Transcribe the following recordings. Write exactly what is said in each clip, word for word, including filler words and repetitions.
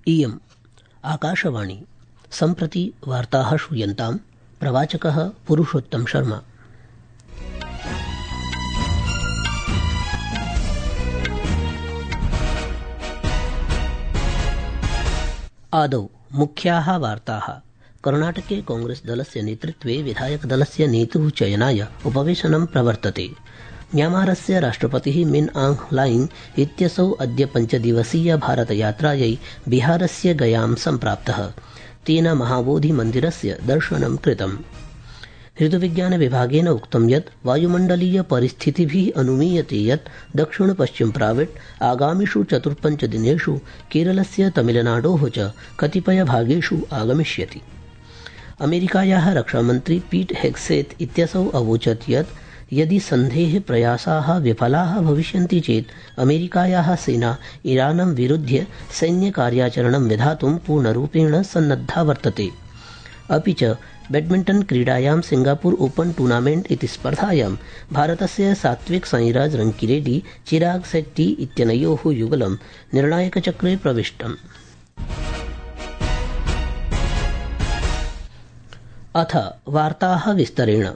इयम् आकाशवाणी। सम्प्रति वार्ताः श्रूयन्ताम्। प्रवाचकः पुरुषोत्तम शर्मा। आदौ मुख्याः वार्ताः। कर्णाटके कांग्रेस दलस्य नेतृत्वे विधायक दलस्य नेतुः चयनाय उपवेशनं प्रवर्तते। म्यांमारस्य राष्ट्रपतिः मिन आंग ह्लाइंग इत्यसौ अद्य पञ्चदिवसीय भारतयात्रायै बिहारस्य गयां सम्प्राप्तः। तेन महाबोधिमन्दिरस्य दर्शनं कृतम्। ऋतुविज्ञान विभागेन उक्तं यत् वायुमण्डलीय परिस्थितिभिः अनुमीयते यत् दक्षिण पश्चिम प्राविट् आगामिषु चतुर्पञ्च दिनेषु केरलस्य तमिलनाडोः च कतिपयभागेषु आगमिष्यति। अमेरिकायाः रक्षामन्त्री पीट हेग्सेत् इत्यसौ अवोचत् यत् यदि सन्धेः प्रयासाः विफलाः भविष्यन्ति चेत् अमेरिकायाः सेना ईरानं विरुध्य सैन्यकार्याचरणं विधातुं पूर्णरूपेण सन्नद्धा वर्तते। अपि च बैडमिण्टन् क्रीडायां सिंगापुर ओपन टूर्नामेण्ट् इति स्पर्धायां भारतस्य सात्विक साईराज रंकीरेड्डी चिराग शेट्टी इत्यनयोः युगलं निर्णायकचक्रे प्रविष्टम्। अथ वार्ताः विस्तरेण।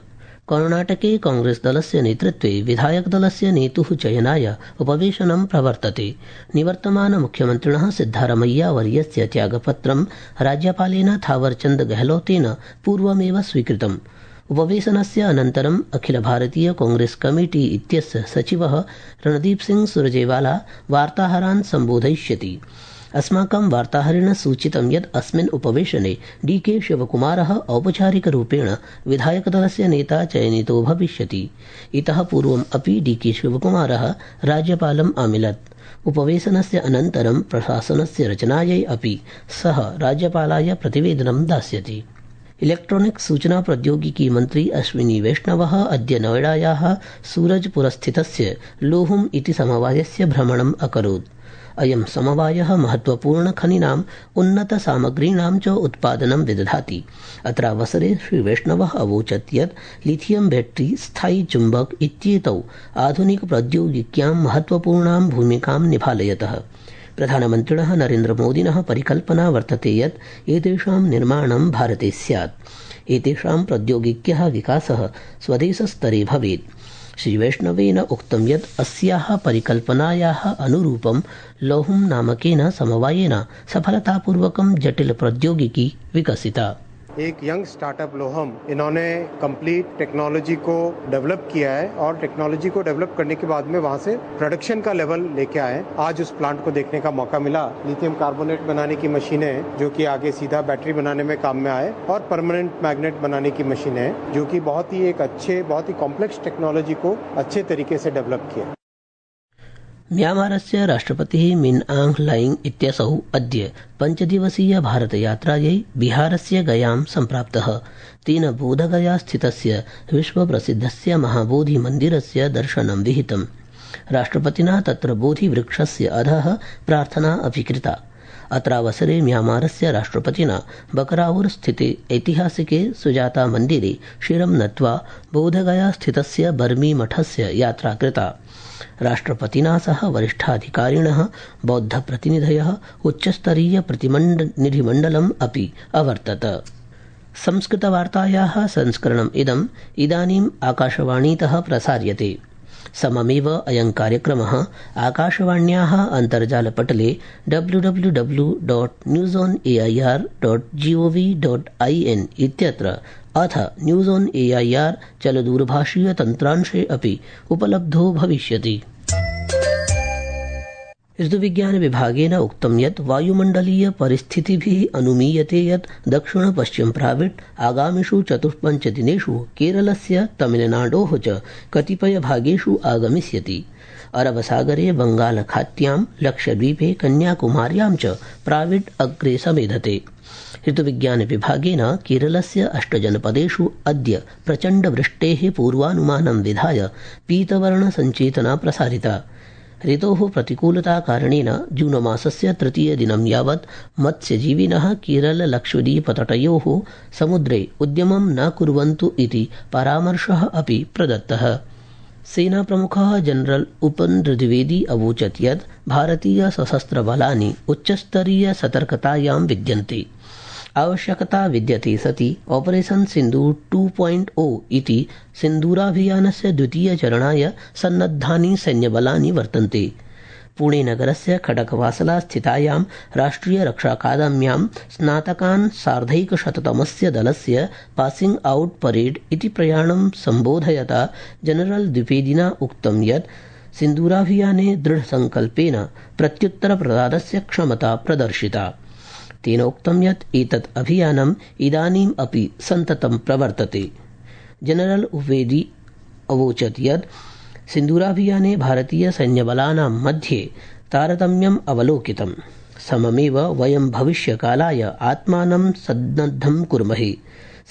कर्णाटके कांग्रेस दलस्य नेतृत्वे विधायक दलस्य नेतुः चयनाय उपवेशनं प्रवर्तते। निवर्तमान मुख्यमन्त्रिणः सिद्धारमैया वर्यस्य त्यागपत्रं राज्यपालेन थावरचन्द गहलोतेन पूर्वमेव स्वीकृतम्। उपवेशनस्य अनन्तरम् अखिल भारतीय कांग्रेस कमेटी इत्यस्य सचिवः रणदीप सिंह सुरजेवाला वार्ताहरान् सम्बोधयिष्यति। अस्माकं वार्ताहरेण सूचितं यत् अस्मिन् उपवेशने डी के शिवकुमारः औपचारिकरूपेण विधायकदलस्य नेता चयनितो भविष्यति। इतः पूर्वम् अपि डी के शिवकुमारः राज्यपालम् आमिलत्। उपवेशनस्य अनन्तरं प्रशासनस्य रचनायै अपि सः राज्यपालाय प्रतिवेदनं दास्यति। इलेक्ट्रॉनिक्स सूचना प्रौद्योगिकी मन्त्री अश्विनी वैष्णवः अद्य नोएडायाः सूरजपुरस्थितस्य लोहुम इति समवायस्य भ्रमणम् अकरोत्। अयं समवायः महत्वपूर्णखनीनाम् उन्नतसामग्रीणां च उत्पादनं विदधाति। अत्रावसरे श्रीवैष्णवः अवोचत् यत् लिथियम बैटरी स्थायी चुम्बक इत्येतौ आधुनिक प्रौद्योगिक्यां महत्वपूर्णां भूमिकां निभालयतः। प्रधानमन्त्रिणः नरेन्द्रमोदिनः परिकल्पना वर्तते यत् एतेषां निर्माणं भारते स्यात्। एतेषां प्रौद्योगिक्यः विकासः स्वदेशस्तरे भवेत्। श्रीवैष्णवेन उक्तं यत् अस्याः परिकल्पनायाः अनुरूपं लोहुम नामकेन समवायेन सफलतापूर्वकं जटिल प्रौद्योगिकी विकसिता। एक यंग स्टार्टअप लोहम, इन्होंने कंप्लीट टेक्नोलॉजी को डेवलप किया है और टेक्नोलॉजी को डेवलप करने के बाद में वहां से प्रोडक्शन का लेवल लेके आए। आज उस प्लांट को देखने का मौका मिला। लिथियम कार्बोनेट बनाने की मशीनें जो कि आगे सीधा बैटरी बनाने में काम में आए, और परमानेंट मैग्नेट बनाने की मशीनें जो कि बहुत ही एक अच्छे बहुत ही कॉम्प्लेक्स टेक्नोलॉजी को अच्छे तरीके से डेवलप किया। म्यांमारस्य राष्ट्रपतिः मिन आंग ह्लाइंग इत्यसौ अद्य पञ्चदिवसीय भारतयात्रायै बिहारस्य गयां सम्प्राप्तः। तेन बोधगया स्थितस्य विश्वप्रसिद्धस्य महाबोधिमन्दिरस्य दर्शनं विहितम्। राष्ट्रपतिना तत्र बोधिवृक्षस्य अधः प्रार्थना अपि कृता। अत्रावसरे म्यांमारस्य राष्ट्रपतिना बकराउर स्थिते ऐतिहासिके सुजाता मन्दिरे शिरं नत्वा बोधगया स्थितस्य बर्मी मठस्य यात्रा कृता। राष्ट्रपतिना सह वरिष्ठाधिकारिणः, बौद्धप्रतिनिधयः, उच्चस्तरीय प्रतिनिधिमण्डलम् अपि अवर्तत। संस्कृतवार्तायाः संस्करणम् इदम् इदानीम् आकाशवाणीतः प्रसार्यते। सममेव अयं कार्यक्रमः आकाशवाण्याः अन्तर्जालपटले W W W dot news on A I R dot G O V dot I N इत्यत्र अथ news on A I R चलदूरभाषीयतन्त्रांशे अपि उपलब्धो भविष्यति। ऋतुविज्ञान विभागेन उक्तं यत् वायुमण्डलीय परिस्थितिभिः अनुमीयते यत् दक्षिण पश्चिम प्राविट् आगामिषु चतुष्पञ्च दिनेषु केरलस्य तमिलनाडोः च कतिपयभागेषु आगमिष्यति। अरबसागरे बंगालखात्यां, लक्षद्वीपे, कन्याकुमार्यां च प्राविट् अग्रे समेधते। ऋतुविज्ञान विभागेन केरलस्य अष्टजनपदेषु अद्य प्रचण्डवृष्टेः पूर्वानुमानं विधाय पीतवर्ण सञ्चेतना प्रसारिता। ऋतोः प्रतिकूलताकारणेन जूनमासस्य तृतीयदिनं यावत् मत्स्यजीविनः केरल लक्षद्वीपतटयोः समुद्रे उद्यमं न कुर्वन्तु इति परामर्शः अपि प्रदत्तः। सेनाप्रमुखः जनरल उपन द्विवेदी अवोचत् यत् भारतीय सशस्त्रबलानि उच्चस्तरीय सतर्कतायां विद्यन्ते। आवश्यकता विद्यते सति ऑपरेशन सिन्दूर टू पॉइंट ओ इति सिन्दूराभियानस्य द्वितीयचरणाय सन्नद्धानि सैन्यबलानि वर्तन्ते। पुणे नगरस्य खडकवासला स्थितायां राष्ट्रिय रक्षाकादम्यां स्नातकान् सार्धैकशततमस्य दलस्य पासिंग आउट परेड इति प्रयाणं सम्बोधयता जनरल द्विवेदिना उक्तं यत् सिन्दूराभियाने दृढसंकल्पेन प्रत्युत्तरप्रदानस्य क्षमता प्रदर्शिता। तेन उक्तं यत् एतत् अभियानम् इदानीम् अपि सन्ततं प्रवर्तते। जनरल द्विवेदी अवोचत् यत् सिन्दूराभियाने भारतीय सैन्यबलानां मध्ये तारतम्यम् अवलोकितम्। सममेव वयं भविष्यकालाय आत्मानं सन्नद्धं कुर्महे।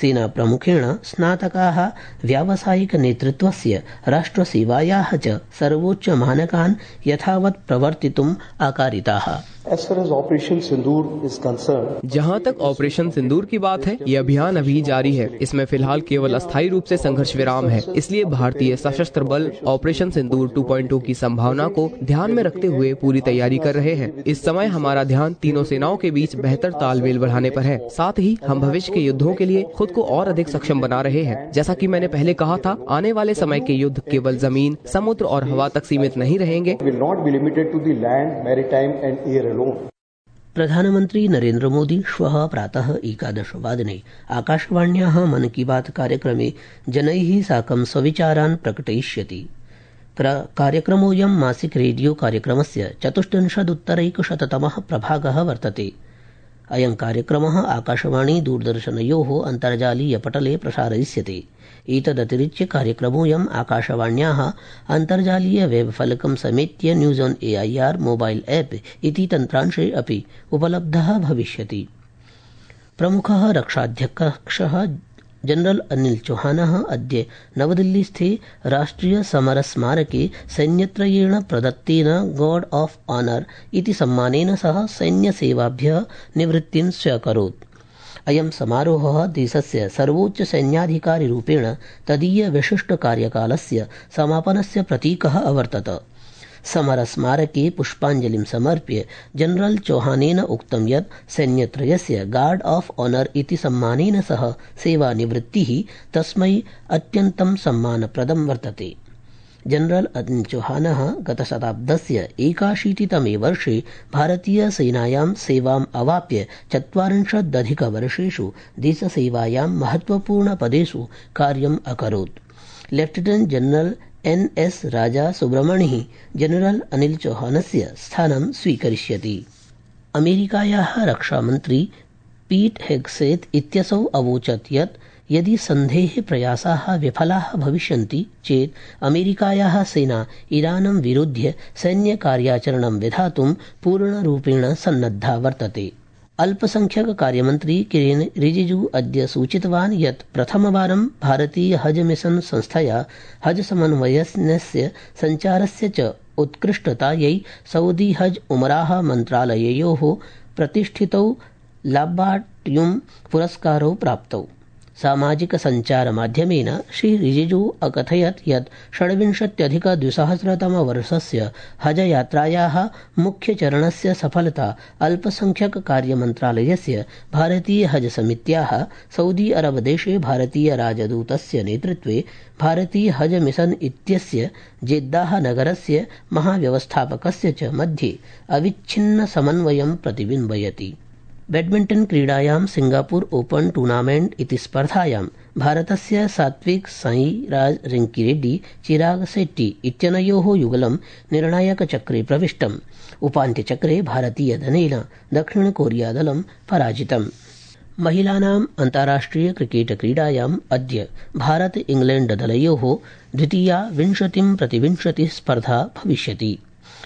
सेनाप्रमुखेण स्नातकाः व्यावसायिकनेतृत्वस्य राष्ट्रसेवायाः च सर्वोच्चमानकान् यथावत् प्रवर्तितुम् आकारिताः। As far as Operation Sindoor is concerned, जहां तक ऑपरेशन सिंदूर की बात है, ये अभियान अभी जारी है। इसमें फिलहाल केवल अस्थायी रूप से संघर्ष विराम है। इसलिए भारतीय सशस्त्र बल ऑपरेशन सिंदूर टू पॉइंट ओ की संभावना को ध्यान में रखते हुए पूरी तैयारी कर रहे हैं। इस समय हमारा ध्यान तीनों सेनाओं के बीच बेहतर तालमेल बढ़ाने पर है। साथ ही हम भविष्य के युद्धों के लिए खुद को और अधिक सक्षम बना रहे हैं। जैसा कि मैंने पहले कहा था, आने वाले समय के युद्ध केवल जमीन, समुद्र और हवा तक सीमित नहीं रहेंगे। प्रधानमंत्री नरेन्द्र मोदी श्वः प्रातः एकादशवादने आकाशवाण्याः मन की बात कार्यक्रमे जनैः साकं स्वविचारान् प्रकटयिष्यति। कार्यक्रमोऽयं मासिक रेडियो कार्यक्रमस्य चतुष्टंशदुत्तरैकशततमः प्रभागः वर्तते। अयं कार्यक्रमः आकाशवाणी दूरदर्शनयोः अन्तर्जालीयपटले प्रसारयिष्यते। एतदतिरिच्य कार्यक्रमोऽयम् आकाशवाण्याः अन्तर्जालीय वेबफलकं समेत्य news on AIR mobile app इति तन्त्रांशे अपि उपलब्धः भविष्यति। प्रमुखः रक्षाध्यक्षः जनरल अनिल चौहानः अद्य नवदिल्लीस्थे राष्ट्रिय समरस्मारके सैन्यत्रयेण प्रदत्तेन गार्ड ऑफ ऑनर इति सम्मानेन सह सैन्यसेवाभ्यः निवृत्तिं स्व्यकरोत्। अयं समारोहः देशस्य सर्वोच्च सैन्याधिकारिरूपेण तदीय विशिष्ट कार्यकालस्य समापनस्य प्रतीकः अवर्तत। समरस्मारके पुष्पाञ्जलिं समर्प्य जनरल चौहानेन उक्तं यत् सैन्यत्रयस्य गार्ड ऑफ ऑनर इति सम्मानेन सह सेवानिवृत्तिः तस्मै अत्यन्तं सम्मानप्रदं वर्तते। जनरल अनिल चौहानः गतशताब्दस्य एकाशीतितमे वर्षे भारतीयसेनायां सेवाम् अवाप्य चत्वारिंशदधिकवर्षेषु देशसेवायां महत्वपूर्णपदेषु कार्यम् अकरोत्। लेफ्टिनेंट जनरल एन एस राजा सुब्रमणिः जनरल अनिल चौहानस्य स्थानं स्वीकरिष्यति। अमेरिकायाः रक्षामन्त्री पीट हेग्सेत् इत्यसौ अवोचत् यत् यदि सन्धेः प्रयासाः विफलाः भविष्यन्ति चेत् अमेरिकायाः सेना ईरानं विरुध्य सैन्यकार्याचरणं विधातुं पूर्णरूपेण सन्नद्धा वर्तते। अल्पसंख्यक कार्यमन्त्री किरेन रिजिजू अद्य सूचितवान् यत् प्रथमवारं भारतीय हज मिशन संस्थया हज समन्वयस्य सञ्चारस्य च उत्कृष्टतायै सऊदी हज उमराह मन्त्रालययोः प्रतिष्ठितौ लाब्बाट्युं पुरस्कारौ प्राप्तौ। सामाजिक सञ्चारमाध्यमेन श्री रिजिजू अकथयत् यत् षड्विंशत्यधिकद्विसहस्रतमवर्षस्य हजयात्रायाः मुख्यचरणस्य सफलता अल्पसंख्यक कार्यमन्त्रालयस्य भारतीय हज समित्याः सऊदी अरब देशे भारतीय राजदूतस्य नेतृत्वे भारतीय हज मिशन इत्यस्य जेद्दाह नगरस्य महाव्यवस्थापकस्य च मध्ये अविच्छिन्न समन्वयं प्रतिबिम्बयति। बैडमिंटन क्रीडायां सिंगापुर ओपन टूर्नामेंट इति स्पर्धायां भारतस्य सात्विक साईराज रंकीरेड्डी चिराग शेट्टी इत्यनयोः युगलं निर्णायकचक्रे प्रविष्टम्। उपान्त्यचक्रे भारतीयदलेन दक्षिणकोरियादलं पराजितम्। महिलानाम् अन्ताराष्ट्रिय क्रिकेट क्रीडायाम् अद्य भारत इंग्लैंड दलयोः द्वितीया विंशतिं प्रतिविंशतिः स्पर्धा भविष्यति।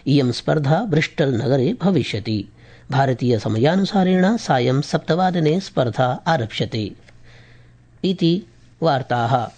इयं स्पर्धा ब्रिस्टल नगरे भविष्यति। भारतीय समयानुसारेण सायं सप्तवादने स्पर्धा आरप्स्यते। इति वार्ताः।